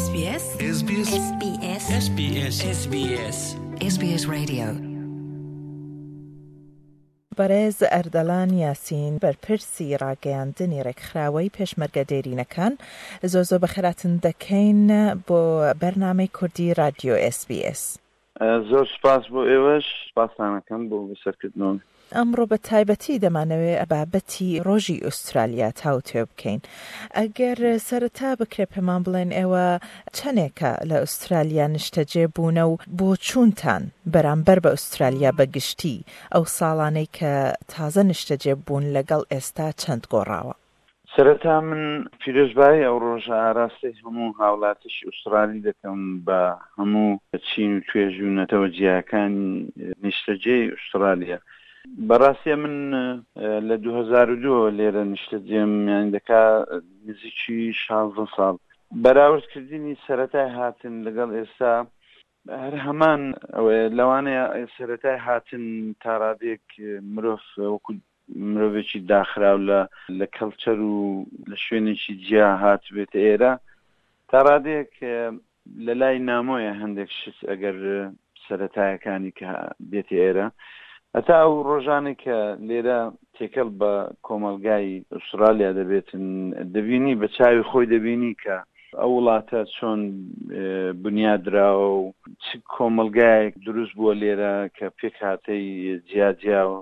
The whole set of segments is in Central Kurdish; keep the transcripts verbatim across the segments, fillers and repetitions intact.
SBS SBS SBS SBS SBS SBS Radio. بەڕێز ئەردەڵان یاسین، بەرپرسی ڕاگەیاندنی ڕێکخراوەی پێشمەرگە دێرینەکان، زۆر زۆر بەخێرهاتن دەکەین بۆ بەرنامەی کوردی رادیۆ ئێس بی ئێس. زۆر سپاس بۆ ئێوەش، سپاستانەکەم بۆ بەسەرکردنەوە. ئەمڕۆ بە تایبەتی دەمانەوێ بابەتی ڕۆژی ئوسترالیا تاوتوێ بکەین. ئەگەر سەرەتا بکرێ پێمان بڵێن ئێوە چەندێکە لە ئوسترالیا نیشتەجێ بوونە و بۆچوونتان بەرامبەر بە ئوسترالیا بە گشتی ئەو ساڵانەی کە تازە نیشتەجێ بوون لەگەڵ ئێستا چەند گۆڕاوە؟ سەرەتا من پیرۆزبایی ئەو ڕۆژە ئاراستەی هەموو هاوڵاتیشی ئوسترالی دەکەم بە هەموو چین و توێژ و نەتەوە جیاکانی نیشتەجێی ئوسترالیا. بەڕاستی من لە دوو هەزار و دوو لێرە نیشتەجێم، یانی دەکا نزیکی شازدە ساڵ. بەراوردکردنی سەرەتای هاتن لەگەڵ ئێستا هەر هەمان ئەوەیە. لەوانەیە سەرەتای هاتن تاڕادێک مرۆڤ وەکو مرۆڤێکی داخراو لە لە کەلچەر و لە شوێنێکی جیا هاتبێتە ئێرە، تا ڕادێک لە لای نامۆیە هەندێک شت ئەگەر سەرەتایەکانی کە دێتە ئێرە. هەتا ئەو ڕۆژانێک کە لێرە تێکەڵ بە کۆمەلگای ئوسترالیا دەبێتن، دەبینی بە چاوی خۆی دەبینی کە ئەو وڵاتە چۆن بنیادراوە و چ کۆمەلگایەک دروست بووە لێرە کە پێکهاتەی جیاجیا و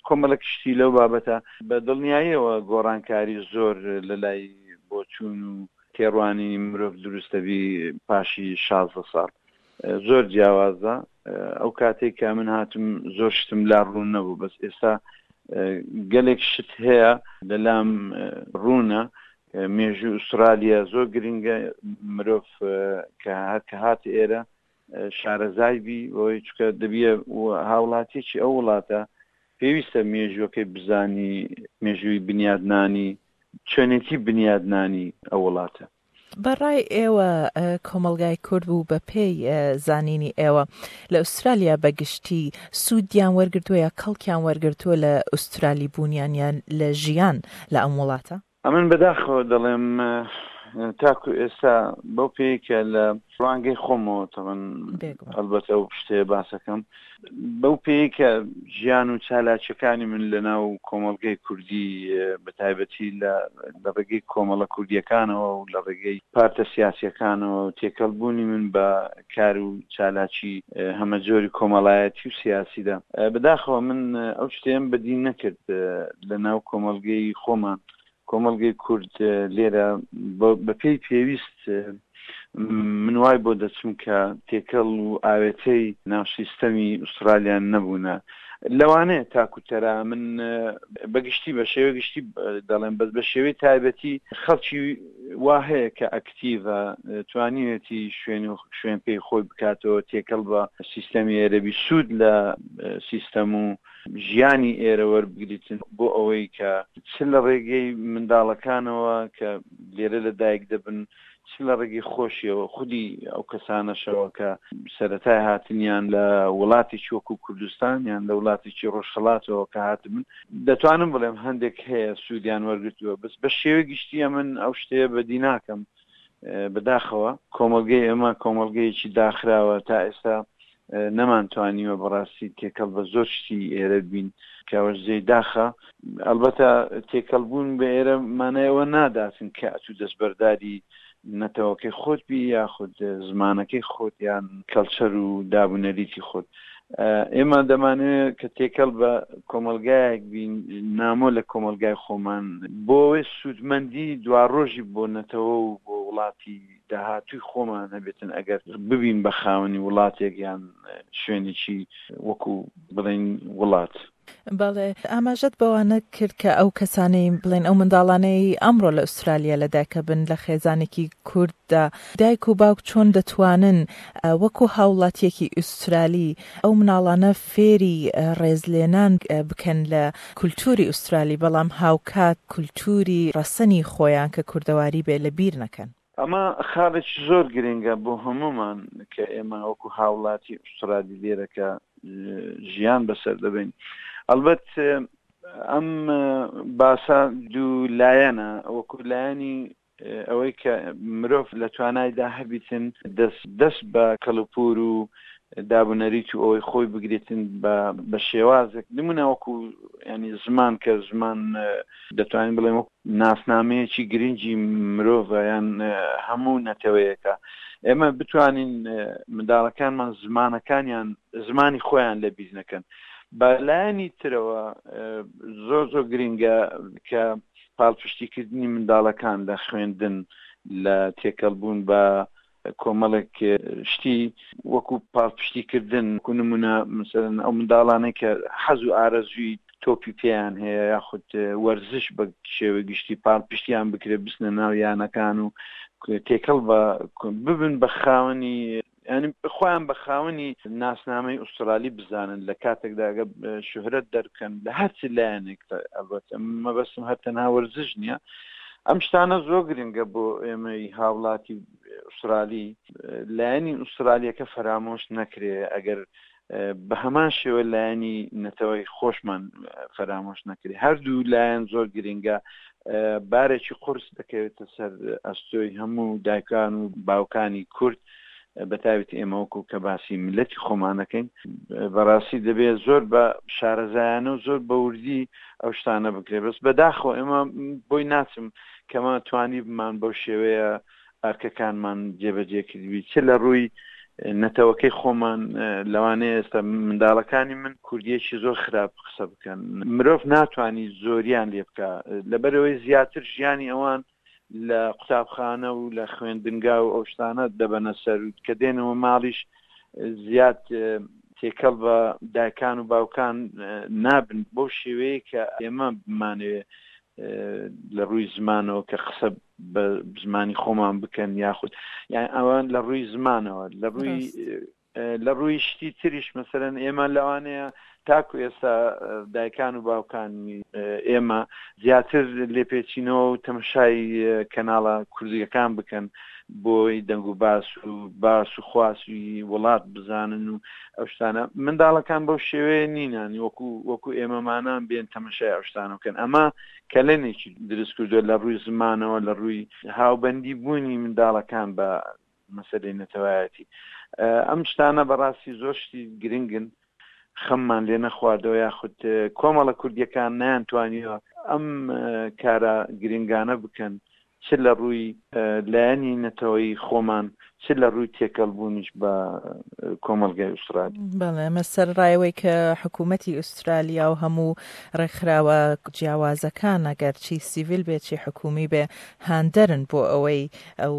کۆمەڵێک شتی لەو بابەتە. بە دڵنیاییەوە گۆڕانکاری زۆر لە لای بۆچوون و تێڕوانینی مرۆڤ دروست دەبی پاشی شازدە ساڵ. زۆر جیاوازە. ئەو کاتێک کە من هاتم زۆر شتم لا ڕوون نەبوو، بەس ئێستا گەلێک شت هەیە لەلام ڕوونە. مێژوو ئوسترالیا زۆر گرنگە، مرۆڤ کە هەر کە هات ئێرە شارەزای بی، بەوەی چونکە دەبیە هاوڵاتیەکی ئەو وڵاتە پێویستە مێژووەکەی بزانی، مێژووی بنیادنانی، چۆنێتی بنیادنانی ئەو وڵاتە. بەڕای ئێوە کۆمەلگای کورد بوو بە پێی زانینی ئێوە لە ئوسترالیا بەگشتی سوودیان وەرگرتووە یا کەڵکیان وەرگرتووە لە ئوسترالی بوونیان یان لە ژیان لە ئەم وڵاتە؟ ئەمن بەداخەوە دەڵێم تاکو ئێستا بەو پێی کە لە ڕوانگەی خۆمەوە تەبەن ئەلبەتە ئەو پشتەیە باسەکەم، بەو پێی کە ژیان و چالاکیەکانی من لەناو کۆمەڵگەی کوردی بە تایبەتی لە ڕێگەی کۆمەڵە کوردیەکانەوە و لە ڕێگەی پارتە سیاسیەکانەوە و تێکەڵبوونی من بە کار و چالاکی هەمەجۆری کۆمەڵایەتی و سیاسیدا، بەداخەوە من ئەو شتەیەم بەدی نەکرد لەناو کۆمەڵگەی خۆمان. کۆمەڵگەی کورد لێرە بە پێی پێویست من وای بۆ دەچم کە تێکەڵ و ئاوێتەی ناو سیستەمی ئوسترالیان نەبوونە. لەوانەیە تاکوتەرا من بەگشتی بە شێوەی گشتی دەڵێم، بەس بە شێوەی تایبەتی خەڵکی وا هەیە کە ئەکتیڤە، توانیوێتی شوێن و شوێن پێی خۆی بکاتەوە، تێکەڵ بە سیستەمی ئێرەبی، سوود لە سیستەم و ژیانی ئێرە وەربگریتن بۆ ئەوەی کە چ لە ڕێگەی منداڵەکانەوە کە لێرە لە دایک دەبن، چ لە ڕێگەی خۆشیەوە خودی ئەو کەسانەشەوە کە سەرەتای هاتنیان لە وڵاتێکی وەکو کوردستان یان لە وڵاتێکی ڕۆژهەڵاتەوە کە هاتبن، دەتوانم بڵێم هەندێک هەیە سوودیان وەرگرتووە. بەس بە شێوەی گشتیە من ئەو شتەیە بەدی ناکەم. بەداخەوە کۆمەڵگەی ئێمە کۆمەڵگەیەکی داخراوە، تا ئێستا نەمانتوانیوە بەڕاستی تێکەڵ بە زۆر شتی ئێرە بین کە ئەوەش جێی داخە. ئەلبەتە تێکەڵ بوون بە ئێرە مانای ئەوە ناداتن کە ئەتوو دەستبەرداری نەتەوەکەی خۆت بی یاخود زمانەکەی خۆت یان کەلچەر و دابونەریتی خۆت. ئێمە دەمانەوێت کە تێکەڵ بە کۆمەلگایەک بین نامۆ لە کۆمەلگای خۆمان، بۆ ئەوەی سوودمەندی دواڕۆژی بۆ نەتەوە و بۆ وڵاتی داهاتووی خۆمان هەبێتن ئەگەر ببین بە خاوەنی وڵاتێک یان شوێنێکی وەکو بڵێن وڵات. بەڵێ، ئاماژەت بەوانە کرد کە ئەو کەسانەی بڵێن ئەو منداڵانەی ئەمڕۆ لە ئوسترالیا لەدایکە بن لە خێزانێکی کورددا، دایک و باوک چۆن دەتوانن وەکو هاوڵاتیەکی ئوسترالی ئەو مناڵانە فێری ڕێزلێنان بکەن لە کولتوری ئوسترالی، بەڵام هاوکات کولتوری ڕەسەنی خۆیان کە کوردەواری بێ لە بیر نەکەن؟ ئەمە خاڵێکی زۆر گرنگە بۆ هەمومان کە ئێمە وەکو هاوڵاتی ئوسترالی لێرە کە ژیان بەسەر دەبین. ئەلبەت ئەم باسە دوو لایەنە، وەکو لایەنی ئەوەی کە مرۆڤ لە توانایدا هەبیتن دەست دەست بە کەلوپور و دابونەریت و ئەوەی خۆی بگرێتن بە شێوازێک، نمونە وەکو ینی زمان، کە زمان دەتوانین بڵێن وەکو ناسنامەیەکی گرنگی مرۆڤە یان هەموو نەتەوەیەکە. ئێمە بتوانین منداڵەکانمان زمانەکانیان زمانی خۆیان لەبیر نەکەن. بە لایەنی ترەوە زۆر زۆر گرنگە کە پاڵپشتیکردنی منداڵەکان لە خوێندن، لە تێکەڵبوون بە کۆمەڵێک شتی وەکو پاڵپشتیکردن، وەکو نمونە مثلەن ئەو منداڵانەی کە حەز و ئارەزووی تۆپی پێیان هەیە یاخود وەرزش بە شێوەی گشتی پاڵپشتیان بکرێت بچنە ناو یانەکان و تێکەڵ بە ببن بە خاوەنی، یعنی خۆیان بە خاوەنی ناسنامەی ئوسترالی بزانن لە کاتێکدا ئەگە شوهرەت دەربکەن لە هەرچی لایەنێک. ئەلبەتە مەبەستم هەر تەنها وەرزش نییە، ئەم شتانە زۆر گرنگە بۆ ئێمەی هاوڵاتی ئوسترالی. لایەنی ئوسترالیەکە فەرامۆش نەکرێ، ئەگەر بە هەمان شێوە لایەنی نەتەوەی خۆشمان فەرامۆش نەکرێ. هەردوو لایەن زۆر گرنگە، بارێکی قورس دەکەوێتە سەر ئەستۆی هەموو دایکان و باوکانی کورد، بە تایبەتی ئێمە وەکو کە باسی میللەتی خۆمانەکەین. بەڕاستی دەبێت زۆر بە شارەزایانە و زۆر بەوردی ئەو شتانە بکرێت. بەس بەداخەوە ئێمە بۆی ناچم کەمە توانی بمان بەو شێوەیە ئەرکەکانمان جێبەجێ کردبی، چ لە ڕووی نەتەوەکەی خۆمان. لەوانەیە ئێستا منداڵەکانی من کوردیەکی زۆر خراپ قسە بکەن، مرۆڤ ناتوانانی زۆریان لێ بکە، لەبەرەوەی زیاتر ژیانی ئەوان لە قوتابخانە و لە خوێندنگا و ئەو شتانە دەبەنە سەر، کە دێنەوە ماڵیش زیاد تێکەڵ بە دایکان و باوکان نابن بەو شێوەیە کە ئێمە بمانەوێ لە ڕووی زمانەوە کە قسە بە زمانی خۆمان بکەن، یاخود یان ئەوان لە ڕووی زمانەوە، لە ڕووی لە ڕووی شتی تریش. مەسەرەن ئێمە لەوانەیە تاکو ئێستا دایکان و باوکانی ئێمە زیاتر لێپێچینەوە و تەماشای کەناڵە کوردیەکان بکەن بۆی دەنگ و باس و باس و خواسی وڵات بزانن و ئەو شتانە. منداڵەکان بەو شێوەیە نینان وەکو وەکو ئێمەمانان بێن تەماشای ئەو شتانە بکەن. ئەمە کەلێنێکی دروست کردووە لە ڕووی زمانەوە، لە ڕووی هاوبەندی بوونی منداڵەکان بە مەسەلەی نەتەوایەتی. ئەم شتانە بەڕاستی زۆر شتی گرنگن، خەممان لێ نەخواردەوە یاخود کۆمەڵە کوردیەکان نەیانتوانیوە ئەم کارە گرنگانە بکەن، چ لە ڕووی لایەنی نەتەوەی خۆمان، چ لە ڕووی تێکەڵبوونیش بە کۆمەڵگای ئوسترالی. بەڵێ، ئەمە سەرڕایەوەی کە حکوومەتی ئوسترالیا و هەموو ڕێکخراوە جیاوازەکان ئەگەر چی سیڤیل بێ چی حکوومی بێ هاندەرن بۆ ئەوەی ئەو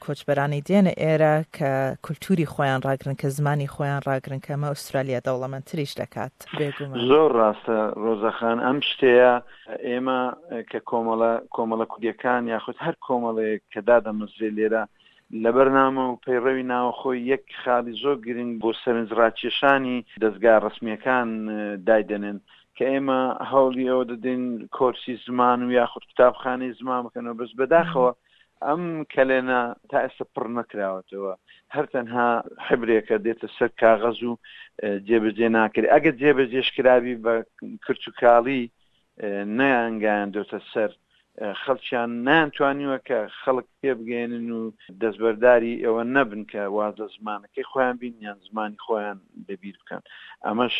کۆچبەرانی دێنە ئێرە کە کولتوری خۆیان ڕاگرن، کە زمانی خۆیان ڕاگرن، کە ئەمە ئوسترالیا دەوڵەمەندتریش دەکات. بێگومان زۆر ڕاستە ڕۆزەخان. ئەم شتەیە ئێمە کە کۆمەڵە کۆمەڵە کوردیەکان یاخود هەر کۆمەڵەیەک کە دادەمەزرێ لێرە لە بەرنامە و پەیڕەوی ناوەخۆی یەک خاڵی زۆر گرنگ بۆ سەرنجڕاکێشانی دەستگا ڕسمیەکان دایدەنێن کە ئێمە هەوڵی ئەوە دەدەین کۆرسی زمان و یاخود قوتابخانەی زمان بکەنەوە. بەس بەداخەوە ئەم کەلێنە تا ئێستا پڕ نەکراوەتەوە، هەر تەنها حبرێکە دێتە سەر کاغەز و جێبەجێ ناکرێت. ئەگەر جێبەجێش کرابی بە کرچوکاڵی نەیانگەیاندۆتە سەر خەڵکیان، نەیانتوانیوە کە خەڵک پێبگەێنن و دەستبەرداری ئەوە نەبن کە واز لە زمانەکەی خۆیان بین یان زمانی خۆیان لەبیر بکەن. ئەمەش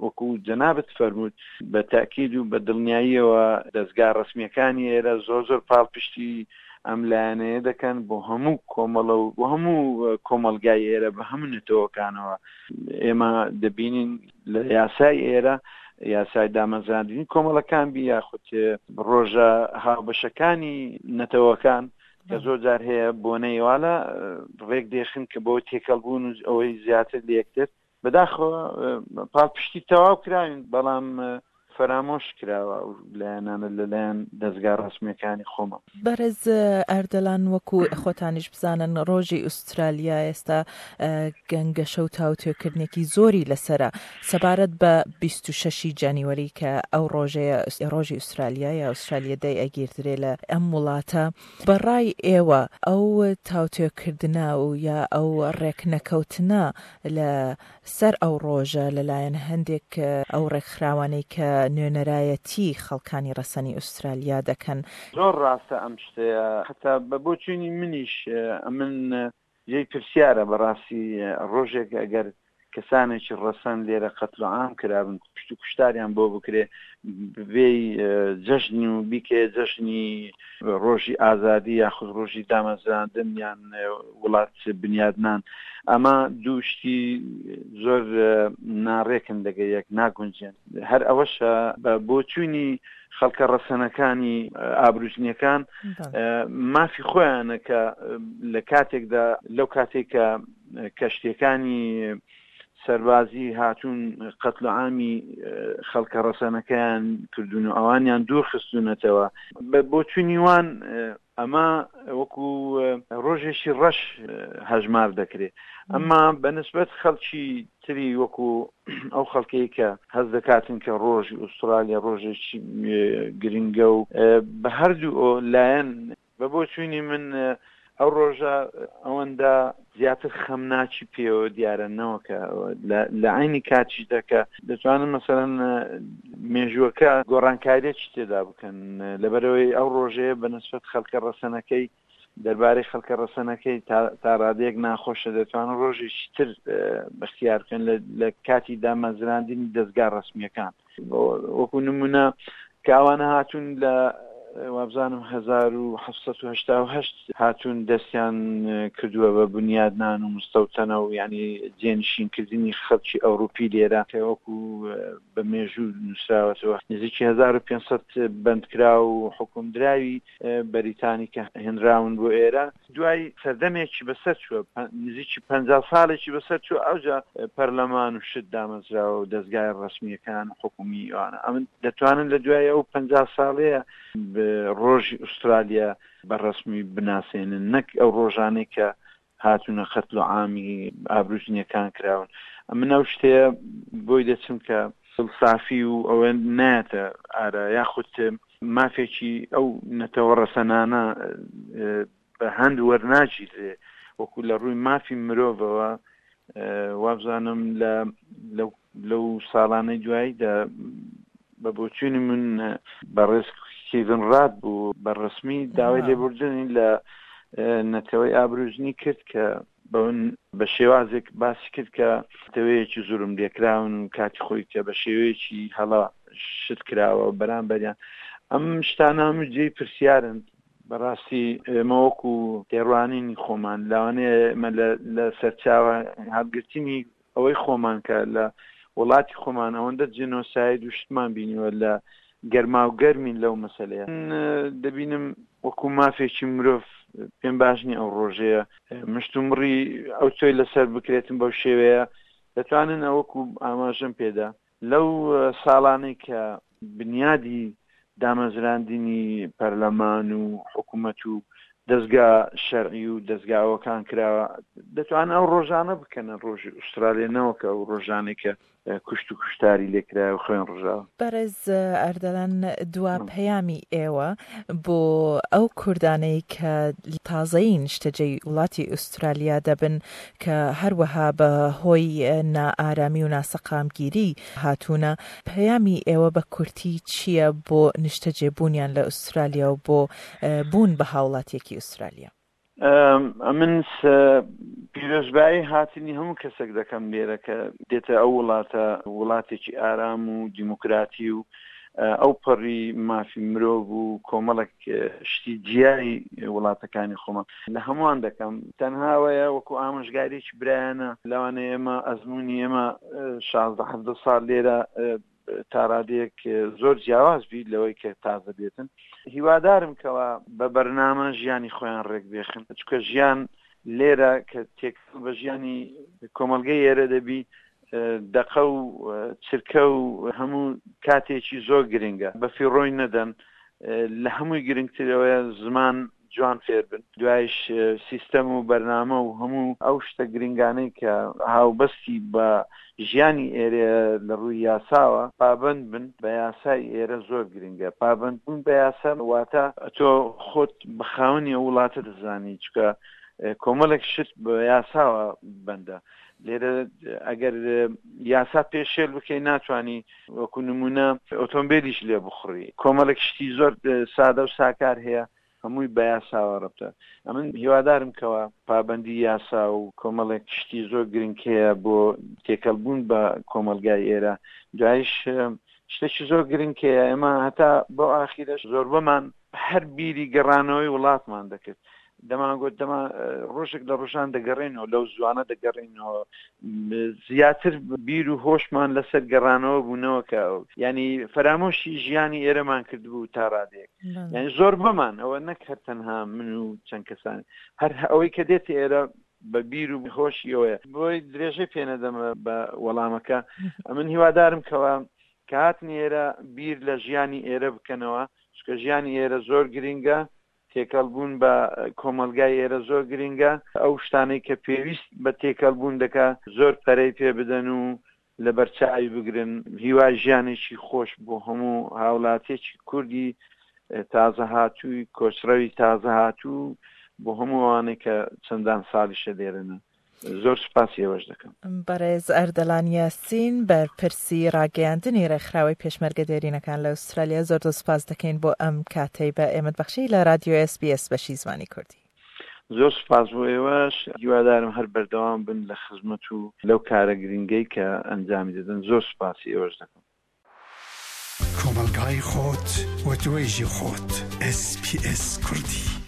وەکو جەنابت فەرمووت بە تاکید و بە دڵنیاییەوە دەستگا ڕسمیەکانی ئێرە زۆر زۆر پاڵپشتی ئەم لایەنەیە دەکەن بۆ هەموو کۆمەڵە و بۆ هەموو کۆمەڵگای ئێرە بە هەموو نەتەوەکانەوە. ئێمە دەبینین لە یاسای ئێرە، یاسای دامەزراندنی کۆمەڵەکان بی یاخود ڕۆژە هاوبەشەکانی نەتەوەکان کە زۆر جار هەیە بۆنەیوالە ڕێک دێخن کە بۆ تێکەڵبوون و ئەوەی زیاتر لە یەکتر. بەداخەوە پاڵپشتی تەواو کراوین، بەڵام فەرامۆش کراوە و لایەنانە لەلایەن دەستگا ڕسمیەکانی خۆمە. بەڕێز ئەردەلان، وەکو خۆتانیش بزانن ڕۆژی ئوسترالیا ئێستا گەنگەشە و تاوتوێکردنێکی زۆری لەسرە سەبارەت بە بیست و شەشی جانیوەری کە ئەو ڕۆژەیە ڕۆژی ئوسترالیا یا ئوسترالیا دەی ئەگیردرێ لە ئەم وڵاتە. بەڕای ئێوە ئەو تاوتوێکردنە و یا ئەو ڕێکنەکەوتنە لە سەر ئەو ڕۆژە لەلایەن هەندێک ئەو ڕێکخراوانەی کە نوێنەرایەتی خەڵکانی ڕەسەنی ئوسترالیا دەکەن. زۆر ڕاستە ئەم شتەیە، حتا بە بۆچوونی منیش ئەمن جێی پرسیارە بەڕاستی ڕۆژێک ئەگەر کەسانێکی ڕەسەن لێرە قەتل و عام کرابن، کوشت و کوشتاریان بۆ بکرێ، بێی جەژن و بیکێ جەژنی ڕۆژی ئازادی یاخود ڕۆژی دامەزراندن یان وڵات بنیادنان، ئەمە دوو شتی زۆر ناڕێکن لەگە یەک، ناگونجێن. هەر ئەوەشە بە بۆچوونی خەڵکە ڕەسەنەکانی ئابروجنیەکان مافی خۆیانە کە لە کاتێکدا لەو کاتێک کە کەشتیەکانی سەربازی هاتوون قەتل و عامی خەڵکە ڕەسەنەکەیان کردوون و ئەوانیان دوور خستوونەتەوە، بە بۆچوونی وان ئەمە وەکو ڕۆژێکی ڕەش هەژمار دەکرێت. ئەمما بەنسبەت خەڵکی تری وەکو ئەو خەڵکەی کە هەز دەکاتن کە ڕۆژی ئوسترالیا ڕۆژێکی گرنگە و بە هەردوو لایەن، بە بۆچوونی من ئەو ڕۆژە ئەوەندە زیاتر خەمناکی پێوە دیارە نەوەکە لە عینی کاتیشدا کە دەتوانن مەسەلەن مێژووەکە گۆڕانکاریەکی تێدا بکەن، لەبەرەوەی ئەو ڕۆژەیە بەنسبەت خەڵکە ڕەسەنەکەی دەربارەی خەڵکە ڕەسەنەکەی تا ڕادەیەک ناخۆشە، دەتوانن ڕۆژێکی تر بەختیار بکەن لە کاتی دامەزراندنی دەستگا ڕەسمیەکان. وەکو نمونە کە ئەوانە هاتوون لە وابزانم هەزار و حەفت و هەشتا و هەشت هاتوون دەستیان کردووە بە بنیادنان و مستەوتەنە و یعنی جێنشینکردنی خەڵکی ئەوروپی لێرە کە وەکو بە مێژوو نووسراوەتەوە نزیکی هەزار و پێنج سەد بەندکرا و حکومدراوی بەریتانی کە هێنراون بۆ ئێرە. دوای سەردەمێکی بەسەر چووە، نزیکی پەنجا ساڵێکی بەسەر چووە، ئەوجا پەرلەمان و شت دامەزراوە و دەستگای ڕەسمیەکان و حکومی ئەوانە. ئەمن دەتوانن لە دوای ئەو پەنجا ساڵەیە ڕۆژی ئوسترالیا بە ڕەسمی بناسێنن، نەک ئەو ڕۆژانەی کە هاتوونە قەتل و عامی ئابروجنیەکان کراون. من ئەو شتەیە بۆی دەچم کە دڵسافی و ئەوە نایەتە ئارا، یاخود مافێکی ئەو نەتەوە ڕەسەنانە بە هەند وەرناگیرێ وەکو لە ڕووی مافی مرۆڤەوە. وابزانم لەو ساڵانەی دواییدا بە بۆچوونی من بەڕێز کیڤن ڕاد بوو بە ڕەسمی داوای لێبوردنی لە نەتەوەی ئابروجنی کرد کە بە شێوازێک باسی کرد کە نەتەوەیەکی زورم لێکراون و کاتی خۆی کە بە شێوەیەکی هەڵە شت کراوە بەرامبەریان. ئەم شتانە هەموو جێی پرسیارن. بەڕاستی ئێمە وەکو تێڕوانینی خۆمان لەوانەیە ئێمە لە سەرچاوە هەڵگرتنی ئەوەی خۆمان کە لە وڵاتی خۆمان ئەوەندە جینۆساید و شتمان بینیوە لە گەرما و گەرمین لەو مەسەلەیە دەبینم وەکو مافێکی مرۆڤ پێم باش نییە ئەو ڕۆژەیە مشتومڕی ئەو تۆی لەسەر بکرێتن بەو شێوەیە. دەتوانن ئەوەکو ئاماژەم پێدا لەو ساڵانەی کە بنیادی دامەزراندنی پەرلەمان و حکوومەت و دەستگا شەرعی و دەستگاوەکان کراوە، دەتوانن ئەو ڕۆژانە بکەنە ڕۆژی ئوسترالیا نەوەکە ئەو ڕۆژانەی کە کوشت و کوشتاری لێکرایە و خوێن ڕژاوە. بەڕێز ئەردەلان، دوا پەیامی ئێوە بۆ ئەو کوردانەی کە تازەیی نیشتەجێی وڵاتی ئوسترالیا دەبن کە هەروەها بە هۆی نائارامی و ناسەقامگیری هاتوونە، پەیامی ئێوە بە کورتی چییە بۆ نیشتەجێبوونیان لە ئوسترالیا و بۆ بوون بە هاوڵاتیەکی ئوسترالیا؟ ئەمن پیرۆزبایی هاتنی هەموو کەسێک دەکەم لێرە کە دێتە ئەو وڵاتە، وڵاتێکی ئارام و دیموکراتی و ئەو پەڕی مافی مرۆڤ و کۆمەڵێک شتی جیای وڵاتەکانی خۆمان لە هەمووان دەکەم. تەنهاوەیە وەکو ئامۆژگاریەکی برایانە، لەوانەیە ئێمە ئەزمموی ئێمە شازدە حەڤدە ساڵ لێرە تا ڕادەیەک زۆر جیاواز بیت لەوەی کە تازە بێتن. هیوادارم کەوا بە بەرنامە ژیانی خۆیان ڕێک بێخن، چونکە ژیان لێرە کە تێکەڵ بە ژیانی کۆمەڵگەی ئێرە دەبی، دەقە و چرکە و هەموو کاتێکی زۆر گرنگە، بە فیڕۆی نەدەن. لە هەمووی گرنگترەوەیە زمان جوان فێر بن، دوایش سیستەم و بەرنامە و هەموو ئەو شتە گرنگانەی کە هاوبەستی بە ژیانی ئێرە لە ڕووی یاساوە پابند بن بە یاسای ئێرە زۆر گرنگە. پابند بوون بە یاسا واتە تۆ خۆت بە خاوەنی ئەو وڵاتە دەزانی، چونکە کۆمەڵێک شت بە یاساوە بەندە. لێرە ئەگەر یاسا پێشێل بکەی ناتوانانی وەکو نمونە ئۆتۆمبیلیش لێ بخوڕی. کۆمەڵێک شتی زۆر سادە و ساکار هەیە هەمووی بە یاساوە ڕەبتە. ئەمن هیوادارم کەوە پابەندی یاسا و کۆمەڵێک شتی زۆر گرنگ هەیە بۆ تێکەڵبوون بە کۆمەلگای ئێرە. دوایش شتێکی زۆر گرنگ هەیە، ئێمە هەتا بۆ ئاخیرەش زۆربەمان هەر بیری گەڕانەوەی وڵاتمان دەکرد. دەمانگوت دەما ڕۆژێک لە ڕۆژان دەگەڕێنەوە، لەو زوانە دەگەڕێنەوە، زیاتر بیر و هۆشمان لەسەر گەڕانەوە بوونەوە کە ینی فەرامۆشی ژیانی ئێرەمان کردبوو تا ڕادێک. یعنی زۆر بەمان ئەوە نەک هەر تەنها من و چەند کەسان، هەر ئەوەی کە دێت ئێرە بە بیر و هۆشیەوەیە. بۆی درێژەی پێنەدەمە بە وەڵامەکە. ئەمن هیوادارم کەوە کە هاتنی ئێرە بیر لە ژیانی ئێرە بکەنەوە، چونکە ژیانی ئێرە زۆر گرنگە، تێکەڵ بوون بە کۆمەلگای ئێرە زۆر گرنگە. ئەو شتانەی کە پێویست بە تێکەڵ بوون دەکا زۆر پەرەی پێ بدەن و لەبەرچاوی بگرن. هیوای ژیانێکی خۆش بۆ هەموو هاوڵاتیەکی کوردی تازە هاتووی، کۆچڕەوی تازە هاتوو، بۆ هەموو ئەوانەی کە چەندان ساڵیشە لێرەنە. زۆر سوپاسی ئێوەش دەکەم. بەڕێز ئەردەلان یاسین، بەرپرسی ڕاگەیاندنی ڕێکخراوەی پێشمەرگە دێرینەکان لە ئوسترالیا، زۆر زۆر سوپاس دەکەین بۆ ئەم کاتەی بە ئێمەت بەخشی لە رادیۆ ئێس بی ئێس بەشی زمانی کوردی. زۆر سوپاس بۆ ئێوەش، هیوادارم هەر بەردەوام بن لە خزمەت و لەو کارە گرنگەی کە ئەنجامی دەدەن. زۆر سوپاسی ئێوەش دەکەم. کۆمەلگای خۆت و توێژی خۆت. ئێس پی ئێس کوردی.